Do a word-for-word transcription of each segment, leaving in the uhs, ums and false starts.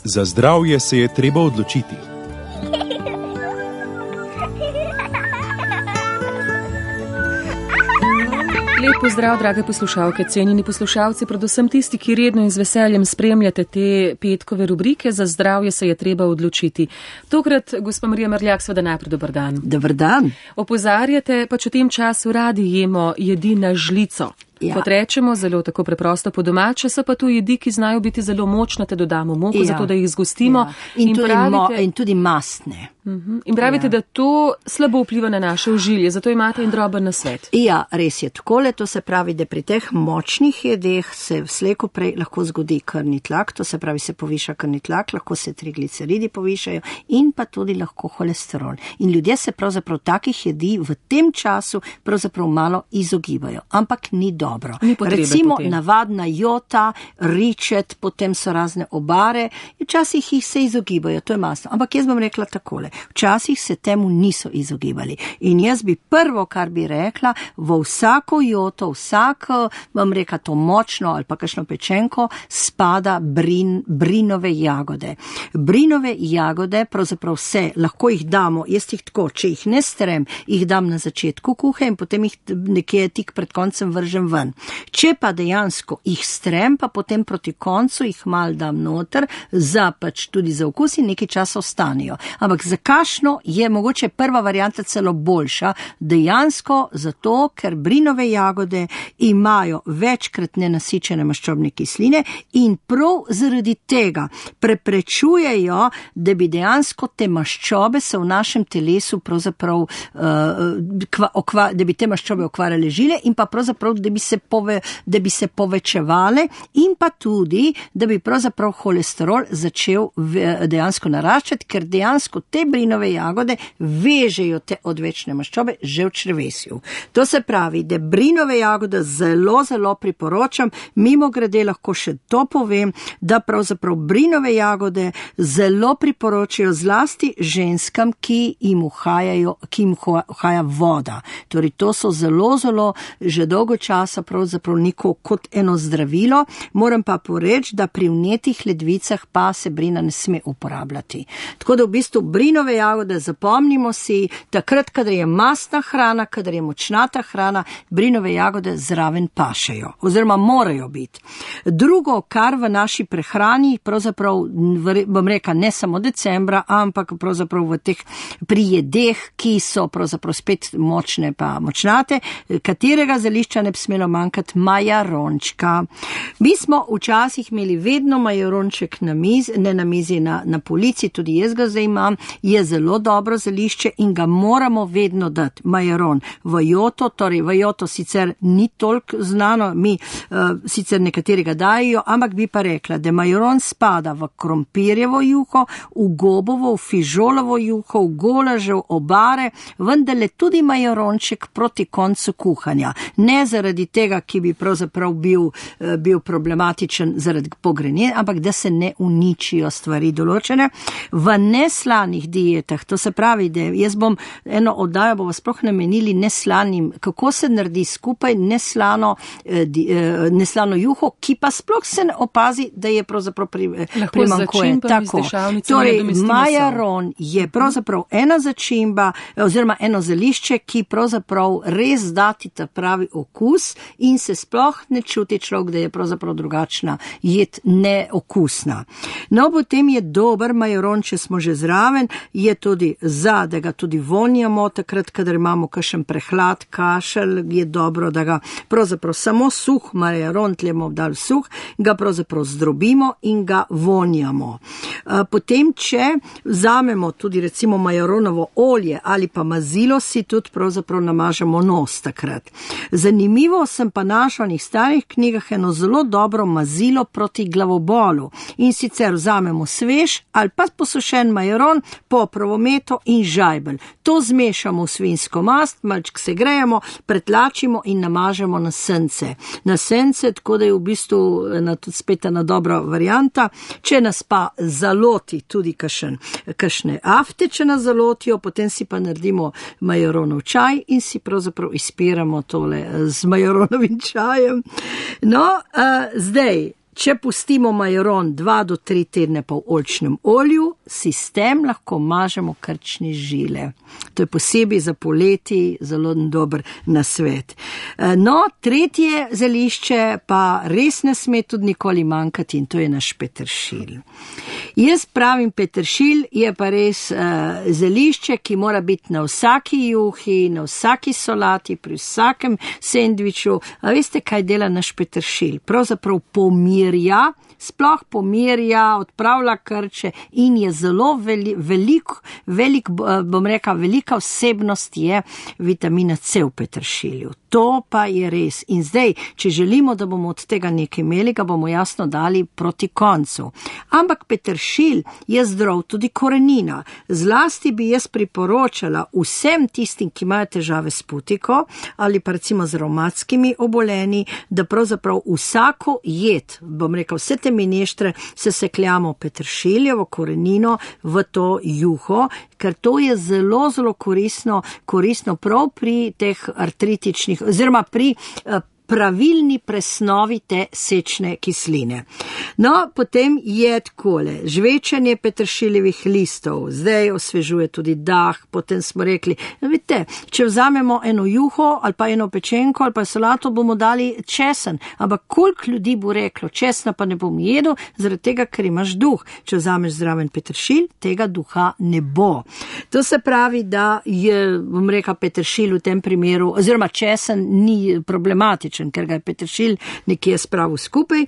Za zdravje se je treba odločiti. Lep pozdrav, drage poslušalke, cenjeni poslušalci, predvsem tisti, ki redno in z veseljem spremljate te petkove rubrike. Za zdravje se je treba odločiti. Tokrat, gospa Marija Merljak, seveda najprej dober dan. Dober dan. Opozarjate, pač v tem času radi jemo jedi na žlico. Ja. Kot rečemo, zelo tako preprosto po domače, so pa tu jedi, ki znajo biti zelo močne, te dodamo moko, ja. zato da jih zgostimo. Ja. In, in, tudi pravite, mo, in tudi mastne. Uh-huh. In pravite, ja. da to slabo vpliva na naše užilje, zato imate en droben nasvet. Ja, res je takole, to se pravi, da pri teh močnih jedeh se vsleko prej lahko zgodi krvni tlak, to se pravi, se poviša krvni tlak, lahko se trigliceridi povišajo in pa tudi lahko holesterol. In ljudje se pravzaprav takih jedi v tem času pravzaprav malo izogibajo, ampak ni dobro. Dobro. Recimo potem. Navadna jota, ričet, potem so razne obare, včasih jih se izogibajo, to je masno. Ampak jaz bom rekla takole, včasih se temu niso izogibali. In jaz bi prvo, kar bi rekla, v vsako joto, vsako, bom rekla to močno ali pa kakšno pečenko, spada brin, brinove jagode. Brinove jagode, pravzaprav vse, lahko jih damo, jaz jih tako, če jih ne strem, jih dam na začetku kuhe in potem jih nekje tik pred koncem vržem ven. Če pa dejansko jih strem, pa potem proti koncu jih mal dam noter, za pač tudi za okus in nekaj časa ostanijo. Ampak za kašno je mogoče prva varianta celo boljša, dejansko zato, ker brinove jagode imajo večkrat nenasičene maščobne kisline in prav zaradi tega preprečujejo, da bi dejansko te maščobe se v našem telesu pravzaprav, uh, kva, okva, da bi te maščobe okvarjale žile in pa pravzaprav, da bi se Pove, da bi se povečevale in pa tudi, da bi pravzaprav holesterol začel dejansko naraščati, ker dejansko te brinove jagode vežejo te odvečne maščobe že v črevesju. To se pravi, da brinove jagode zelo, zelo priporočam, mimo grede lahko še to povem, da pravzaprav brinove jagode zelo priporočajo zlasti ženskam, ki jim uhajajo, ki jim uhaja voda. Torej, to so zelo, zelo že dolgo časa pravzaprav neko kot eno zdravilo, moram pa poreči, da pri vnetih ledvicah pa se brina ne sme uporabljati. Tako da v bistvu brinove jagode zapomnimo si, takrat, kadar je mastna hrana, kadar je močnata hrana, brinove jagode zraven pašejo, oziroma morajo biti. Drugo, kar v naši prehrani, pravzaprav, bom rekla, ne samo decembra, ampak pravzaprav v teh prijedeh, ki so pravzaprav spet močne pa močnate, katerega zelišča ne bi smelo manjkati, majarončka. Mi smo včasih imeli vedno majaronček na mizi, ne na mizi, na, na polici, tudi jaz ga zdaj imam, je zelo dobro zelišče in ga moramo vedno dati, majaron. V joto, torej v joto sicer ni toliko znano, mi uh, sicer nekaterega dajo, ampak bi pa rekla, da majaron spada v krompirjevo juho, v gobovo, v fižolovo juho, v golažev, obare, vendarle tudi majaronček proti koncu kuhanja. Ne zaradi tega, ki bi pravzaprav bil, bil problematičen zaradi pogrenjenja, ampak da se ne uničijo stvari določene. V neslanih dietah, to se pravi, da jaz bom eno oddajo, bomo sploh namenili neslanim, kako se naredi skupaj neslano, neslano juho, ki pa sploh se ne opazi, da je pravzaprav pri, primankuje. Tako. Torej, majaron je pravzaprav ena začimba, oziroma eno zelišče, ki pravzaprav res dati ta pravi okus in se sploh ne čuti človek, da je pravzaprav drugačna jed neokusna. No, potem je dober majaron, če smo že zraven, je tudi za, da ga tudi vonjamo, takrat, kadar imamo kakšen prehlad, kašelj, je dobro, da ga pravzaprav samo suh majaron, tlemo dal suh, ga pravzaprav zdrobimo in ga vonjamo. Potem, če vzamemo tudi recimo majaronovo olje ali pa mazilo, si tudi pravzaprav namažemo nos takrat. Zanimivo sem pa našla v njih starih knjigah eno zelo dobro mazilo proti glavobolu. In sicer vzamemo svež ali pa posušen majaron, poprovo meto in žajbelj. To zmešamo v svinjsko mast, malček se grejemo, pretlačimo in namažemo na sence. Na sence, tako da je v bistvu ena tudi spet ena dobra varianta. Če nas pa zaloti tudi kašen, kašne afte, če nas zalotijo, potem si pa naredimo majaronov čaj in si pravzaprav izpiramo tole z majaronovim čajem. No, uh, zdaj, če pustimo majaron dva do tri tedne pa v oljčnem olju, si s tem lahko mažemo krčne žile. To je posebej za poleti zelo dober nasvet. No, tretje zelišče pa res ne sme tudi nikoli manjkati in to je naš peteršilj. Jaz pravim, peteršilj je pa res uh, zelišče, ki mora biti na vsaki juhi, na vsaki solati, pri vsakem sendviču. A veste, kaj dela naš peteršilj? Pravzaprav pomirja, sploh pomirja, odpravlja krče in je zelo veli, velik, velik, bom rekla, velika vsebnost je vitamina C v peteršilju. To pa je res. In zdaj, če želimo, da bomo od tega nekaj imeli, ga bomo jasno dali proti koncu. Ampak peteršilj je zdrav tudi korenina. Zlasti bi jaz priporočala vsem tistim, ki imajo težave s putiko ali pa recimo z revmatskimi obolenji, da pravzaprav vsako jed, bom rekel, vse te mineštre se sekljamo peteršiljevo korenino v to juho, ker to je zelo, zelo koristno, koristno prav pri teh artritičnih oziroma pri uh, pravilni presnovi te sečne kisline. No, potem je takole, žvečanje peteršiljevih listov, zdaj osvežuje tudi dah, potem smo rekli, no, vidite, če vzamemo eno juho ali pa eno pečenko ali pa solato, bomo dali česen, ampak koliko ljudi bo reklo, česna pa ne bom jedel, zaradi tega, ker imaš duh. Če vzameš zraven peteršilj, tega duha ne bo. To se pravi, da je, bom rekla, peteršilj v tem primeru, oziroma česen ni problematičen, ker ga je peteršilj nekje spravil skupaj,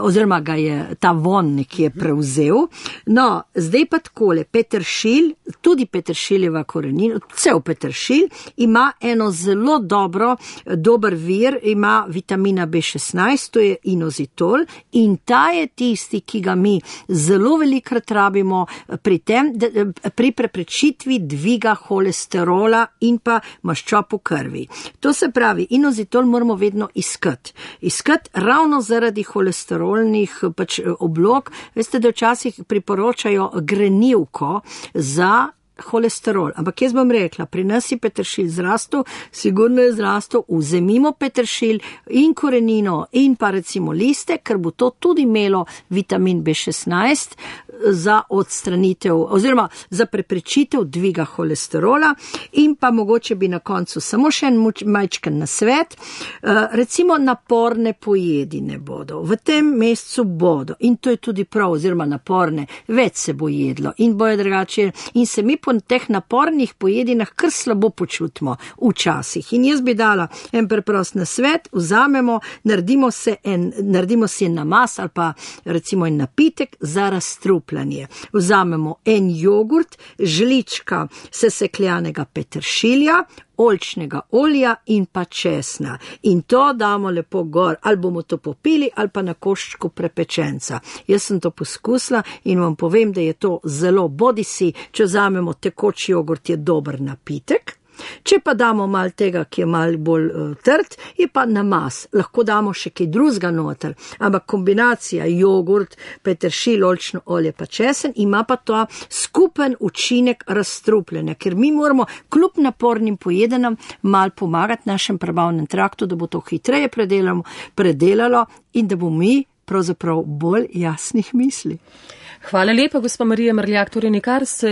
oziroma ga je ta von nekje prevzel. No, zdaj pa takole, peteršilj, tudi peteršiljeva korenina, cel peteršilj, ima eno zelo dobro, dober vir, ima vitamina B šestnajst, to je inozitol, in ta je tisti, ki ga mi zelo velikrat rabimo pri tem, pri preprečitvi dviga holesterola in pa maščob v krvi. To se pravi, inozitol moramo vedno iskati. Iskati ravno zaradi holesterolnih pač oblog. Veste, da včasih priporočajo grenivko za holesterol. Ampak jaz bom rekla, pri nas je peteršilj zrastel, sigurno je zrastel, vzemimo peteršilj in korenino in pa recimo liste, ker bo to tudi imelo vitamin B šestnajst za odstranitev oziroma za preprečitev dviga holesterola in pa mogoče bi na koncu samo še en majčken nasvet. Recimo naporne pojedine bodo. V tem mesecu bodo in to je tudi prav, oziroma naporne, več se bo jedlo in bojo drugače in se mi po teh napornih pojedinah kar slabo počutimo včasih. In jaz bi dala en preprost nasvet, vzamemo, naredimo se en, naredimo si en namaz ali pa recimo en napitek za razstrupljanje. Vzamemo en jogurt, žlička sesekljanega peteršilja, oljčnega olja in pa česna. In to damo lepo gor, ali bomo to popili, ali pa na koščku prepečenca. Jaz sem to poskusila in vam povem, da je to zelo bodisi, če vzamemo tekoč jogurt, je dober napitek. Če pa damo malo tega, ki je malo bolj uh, trd, je pa namaz. Lahko damo še kaj drugega noter, ampak kombinacija jogurt, peteršilj, oljčno olje pa česen ima pa to skupen učinek razstrupljanja, ker mi moramo kljub napornim pojedenam malo pomagati našem prebavnem traktu, da bo to hitreje predelalo in da bomo mi pravzaprav bolj jasnih misli. Hvala lepa, gospa Marija Mrljak. Torej, nikar se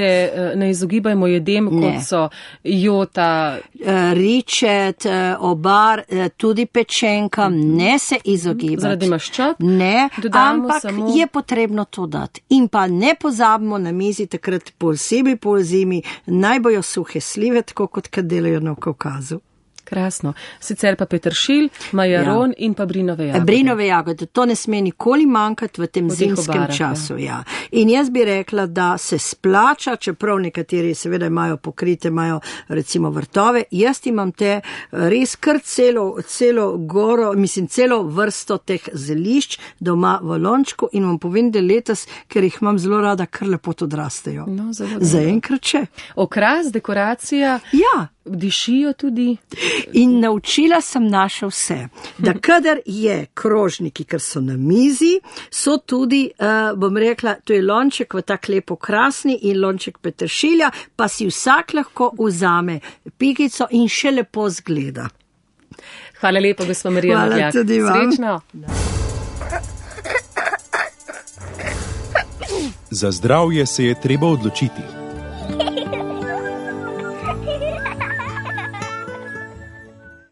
ne izogibajmo jedem, ne. Kot so jota, ričet, obar, tudi pečenka, ne se izogibati. Zaradi maščob? Ne, dodamo ampak samo... je potrebno to dati. In pa ne pozabimo na mizi takrat posebej po zimi, naj bojo suhe slive, tako kot kad delajo na Kavkazu. Krasno. Sicer pa peteršilj, majaron ja. In pa brinove jagode. Brinove jagode, to ne sme nikoli manjkati v tem zimskem obarah, času. Ja. Ja. In jaz bi rekla, da se splača, čeprav nekateri seveda imajo pokrite, imajo recimo vrtove, jaz imam te res kar celo, celo goro, mislim celo vrsto teh zelišč doma v lončku in vam povem, da letos, ker jih imam zelo rada, kar lepo odrastejo. No, zaenkrat še. Okras, dekoracija. Ja. Dišijo tudi. In naučila sem naša vse, da kadar je krožniki, ker so na mizi, so tudi, uh, bom rekla, to je lonček v tak lepo krasni in lonček peteršilja, pa si vsak lahko vzame pikico in še lepo zgleda. Hvala lepa, gospa Marija Mrljak. Hvala tudi vam. Srečno. Za zdravje se je treba odločiti.